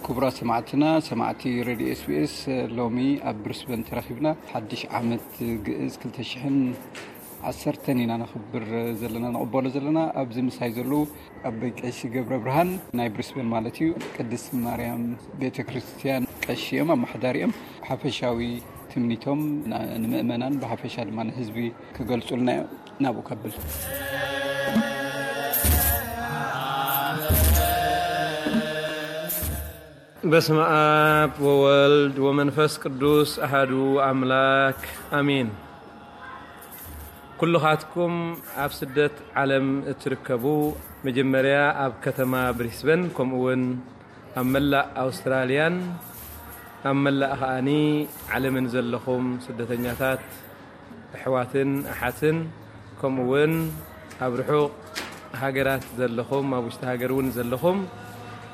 ክቡራት ሰማዕትና፣ ሰማዕቲ ሬድዮ ኤስቢኤስ፣ ሎሚ ኣብ ብሪስበን ተራኺብና ሓድሽ ዓመት ግእዝ ክልተ ሽሕን ዓሰርተን ኢና ነኽብር ዘለና፣ ንቕበሎ ዘለና። ኣብዚ ምሳይ ዘለዉ ኣቦይ ቀሺ ገብረ ብርሃን ናይ ብሪስበን ማለት እዩ፣ ቅድስት ማርያም ቤተ ክርስቲያን ቀሺ እዮም፣ ኣመሓዳሪ እዮም። ሓፈሻዊ ትምኒቶም ና-፣ ንምእመናን ብሓፈሻ ድማ ንህዝቢ ክገልጹልና እዮም። ናብኡ ከብል። በስመ አብ ወወልድ ወመንፈስ ቅዱስ አሃዱ አምላክ አሜን። ኩልኻትኩም ኣብ ስደት ዓለም እትርከቡ፣ መጀመርያ ኣብ ከተማ ብሪስበን፣ ከምኡ እውን ኣብ መላእ ኣውስትራልያን ኣብ መላእ ከኣኒ ዓለምን ዘለኹም ስደተኛታት ኣሕዋትን ኣሓትን፣ ከምኡ እውን ኣብ ርሑቕ ሃገራት ዘለኹም፣ ኣብ ውሽጢ ሃገር እውን ዘለኹም፣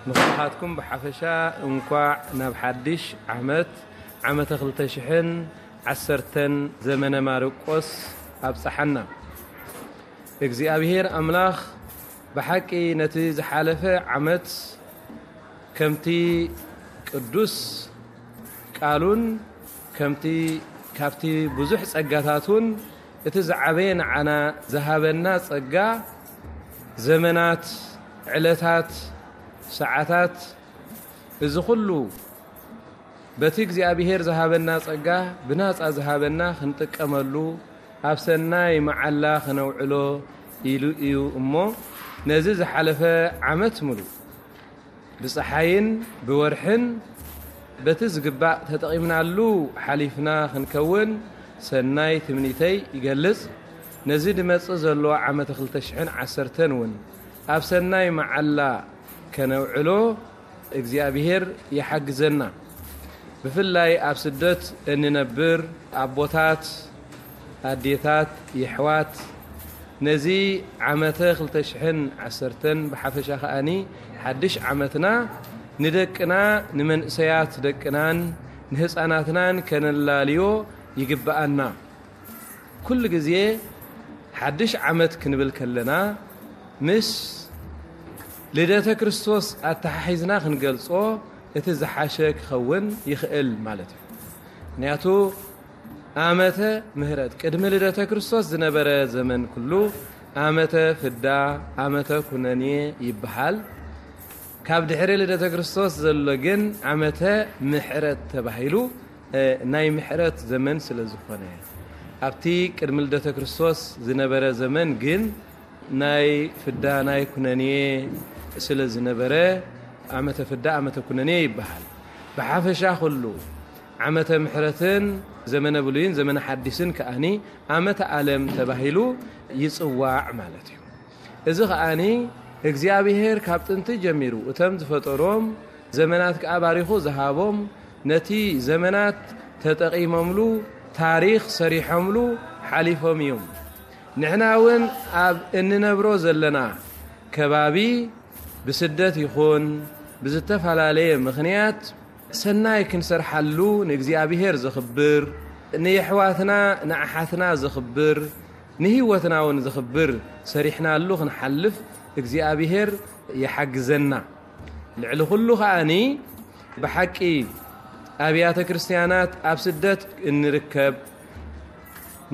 ንኹልኻትኩም ብሓፈሻ እንኳዕ ናብ ሓድሽ ዓመት፣ ዓመተ ክልተ ሽሕን ዓሰርተን ዘመነ ማርቆስ ኣብጽሓና። እግዚኣብሔር ኣምላኽ ብሓቂ ነቲ ዝሓለፈ ዓመት ከምቲ ቅዱስ ቃሉን ከምቲ፣ ካብቲ ብዙሕ ጸጋታቱን እቲ ዝዓበየ ንዓና ዝሃበና ጸጋ፣ ዘመናት፣ ዕለታት፣ ሰዓታት፣ እዚ ኹሉ በቲ እግዚኣብሔር ዝሃበና ጸጋ ብናጻ ዝሃበና ክንጥቀመሉ፣ ኣብ ሰናይ መዓላ ክነውዕሎ ኢሉ እዩ እሞ፣ ነዚ ዝሓለፈ ዓመት ምሉእ ብጸሓይን ብወርሕን በቲ ዝግባእ ተጠቒምናሉ ሓሊፍና ክንከውን ሰናይ ትምኒተይ ይገልጽ። ነዚ ድመጽእ ዘሎ ዓመተ ክልተ ሽሕን ዓሰርተን እውን ኣብ ሰናይ መዓላ ከነውዕሎ እግዚኣብሔር ይሓግዘና። ብፍላይ ኣብ ስደት እንነብር ኣቦታት፣ ኣዴታት፣ የሕዋት፣ ነዚ ዓመተ ክልተ ሽሕን ዓሰርተን ብሓፈሻ ከኣኒ ሓድሽ ዓመትና ንደቅና፣ ንመንእሰያት ደቅናን ንህፃናትናን ከነላልዮ ይግብኣና። ኩሉ ግዜ ሓድሽ ዓመት ክንብል ከለና፣ ምስ ልደተ ክርስቶስ ኣተሓሒዝና ክንገልጾ እቲ ዝሓሸ ክኸውን ይኽእል ማለት እዩ። ምኽንያቱ፣ ዓመተ ምሕረት፣ ቅድሚ ልደተ ክርስቶስ ዝነበረ ዘመን ኩሉ ዓመተ ፍዳ፣ ዓመተ ኩነኔ ይበሃል። ካብ ድሕሪ ልደተ ክርስቶስ ዘሎ ግን ዓመተ ምሕረት ተባሂሉ፣ እ፣ ናይ ምሕረት ዘመን ስለ ዝኾነ፣ ኣብቲ ቅድሚ ልደተ ክርስቶስ ዝነበረ ዘመን ግን ናይ ፍዳ፣ ናይ ኩነኔ ስለ ዝነበረ፣ ዓመተ ፍዳ፣ ዓመተ ኩነኔ ይበሃል። ብሓፈሻ ኩሉ ዓመተ ምሕረትን ዘመነ ብሉይን ዘመነ ሓዲስን ከኣኒ ዓመተ ዓለም ተባሂሉ ይጽዋዕ ማለት እዩ። እዚ ከኣኒ እግዚኣብሔር ካብ ጥንቲ ጀሚሩ እቶም ዝፈጠሮም፣ ዘመናት ከኣ ባሪኹ ዝሃቦም፣ ነቲ ዘመናት ተጠቒሞምሉ፣ ታሪኽ ሰሪሖምሉ ሓሊፎም እዮም። ንሕና እውን ኣብ እንነብሮ ዘለና ከባቢ ብስደት ይኹን ብዝተፈላለየ ምኽንያት ሰናይ ክንሰርሓሉ ንእግዚኣብሔር ዘኽብር፣ ንየሕዋትና ንኣሓትና ዘኽብር፣ ንህይወትና እውን ዘኽብር ሰሪሕናሉ ክንሓልፍ እግዚኣብሔር ይሓግዘና። ልዕሊ ኩሉ ከኣኒ ብሓቂ ኣብያተ ክርስትያናት ኣብ ስደት እንርከብ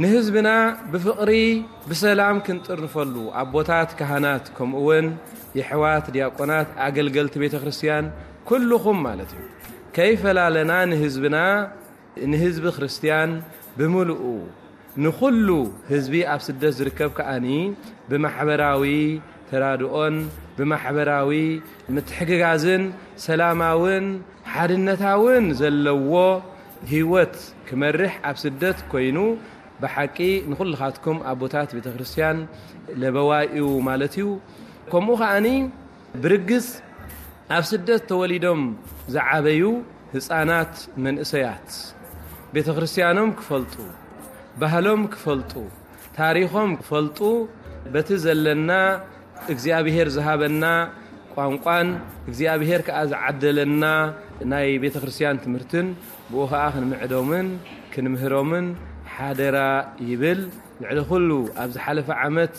ንህዝብና ብፍቕሪ ብሰላም ክንጥርንፈሉ ኣቦታት ካህናት ከምኡ እውን የሕዋት ዲያቆናት ኣገልገልቲ ቤተ ክርስትያን ኩልኹም ማለት እዩ ከይፈላለና ንህዝብና ንህዝቢ ክርስትያን ብምልኡ ንኹሉ ህዝቢ ኣብ ስደት ዝርከብ ከኣኒ ብማሕበራዊ ተራድኦን ብማሕበራዊ ምትሕግጋዝን ሰላማውን ሓድነታውን ዘለዎ ህይወት ክመርሕ ኣብ ስደት ኮይኑ ብሓቂ ንኹልኻትኩም ኣቦታት ቤተ ክርስትያን ለበዋይ እዩ ማለት እዩ። ከምኡ ከኣኒ ብርግጽ ኣብ ስደት ተወሊዶም ዝዓበዩ ህጻናት መንእሰያት ቤተ ክርስትያኖም ክፈልጡ፣ ባህሎም ክፈልጡ፣ ታሪኾም ክፈልጡ በቲ ዘለና እግዚኣብሔር ዝሃበና ቋንቋን እግዚኣብሔር ከኣ ዝዓደለና ናይ ቤተ ክርስቲያን ትምህርትን ብኡ ኸኣ ክንምዕዶምን ክንምህሮምን ሓደራ ይብል። ልዕሊ ኩሉ ኣብ ዝሓለፈ ዓመት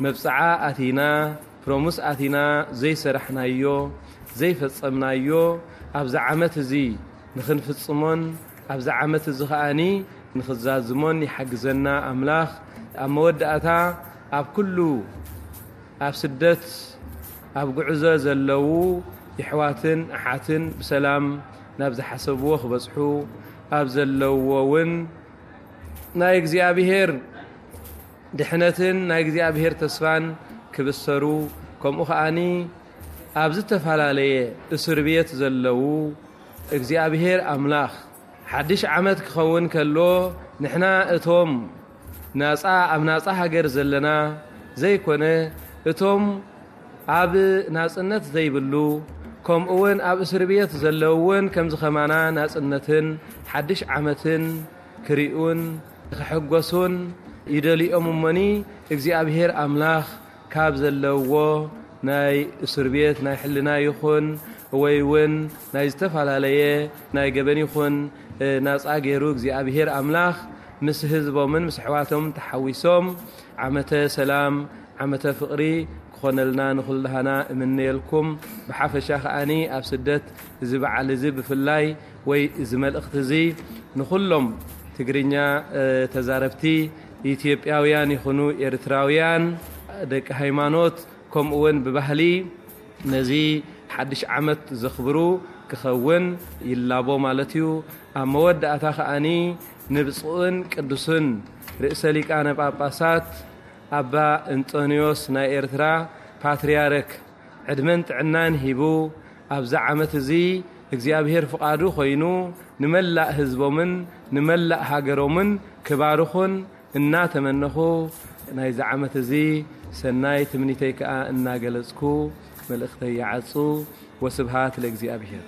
መብጽዓ ኣቲና፣ ፕሮሙስ ኣቲና ዘይሰራሕናዮ፣ ዘይፈጸምናዮ፣ ኣብዚ ዓመት እዚ ንኽንፍጽሞን ኣብዚ ዓመት እዚ ኸኣኒ ንኽዛዝሞን ይሓግዘና ኣምላኽ። ኣብ መወዳእታ ኣብ ኩሉ ኣብ ስደት ኣብ ጉዕዞ ዘለዉ የሕዋትን ኣሓትን ብሰላም ናብ ዝሓሰብዎ ክበጽሑ፣ ኣብ ዘለውዎ እውን ናይ እግዚኣብሔር ድሕነትን ናይ እግዚኣብሔር ተስፋን ክብሰሩ፣ ከምኡ ከኣኒ ኣብ ዝተፈላለየ እስር ቤት ዘለዉ እግዚኣብሔር ኣምላኽ ሓድሽ ዓመት ክኸውን ከሎ፣ ንሕና እቶም ናጻ፣ ኣብ ናጻ ሃገር ዘለና ዘይኮነ፣ እቶም ኣብ ናጽነት ዘይብሉ፣ ከምኡ እውን ኣብ እስር ቤት ዘለዉ እውን ከምዚ ከማና ናጽነትን ሓድሽ ዓመትን ክሪኡን ክሕጎሱን ይደልዮም እሞኒ፣ እግዚኣብሔር ኣምላኽ ካብ ዘለውዎ ናይ እስር ቤት ናይ ሕልና ይኹን ወይ እውን ናይ ዝተፈላለየ ናይ ገበን ይኹን፣ እ፣ ናጻ ገይሩ እግዚኣብሔር ኣምላኽ ምስ ህዝቦምን ምስ ኣሕዋቶም ተሓዊሶም ዓመተ ሰላም፣ ዓመተ ፍቕሪ ክኾነልና ንኹልሃና እምነየልኩም። ብሓፈሻ ከኣኒ ኣብ ስደት እዚ በዓል እዚ ብፍላይ ወይ እዚ መልእኽቲ እዚ ንኹሎም ትግርኛ፣ እ፣ ተዛረብቲ ኢትዮጵያውያን ይኹኑ ኤርትራውያን፣ ደቂ ሃይማኖት፣ ከምኡ እውን ብባህሊ ነዚ ሓድሽ ዓመት ዘኽብሩ ክኸውን ይላቦ ማለት እዩ። ኣብ መወዳእታ ከኣኒ ንብፁዕን ቅዱስን ርእሰ ሊቃነ ጳጳሳት ኣባ እንጦንዮስ ናይ ኤርትራ ፓትርያርክ ዕድመን ጥዕናን ሂቡ፣ ኣብዚ ዓመት እዚ እግዚኣብሔር ፍቓዱ ኮይኑ ንመላእ ህዝቦምን ንመላእ ሃገሮምን ክባርኹን እናተመነኹ፣ ናይዚ ዓመት እዚ ሰናይ ትምኒተይ ከኣ እናገለጽኩ መልእኽተይ ይዓጹ። ወስብሃት ለእግዚኣብሔር።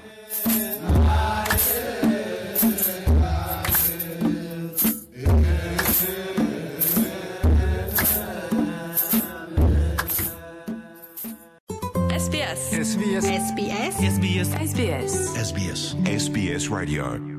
SBS SBS SBS SBS SBS SBS SBS Radio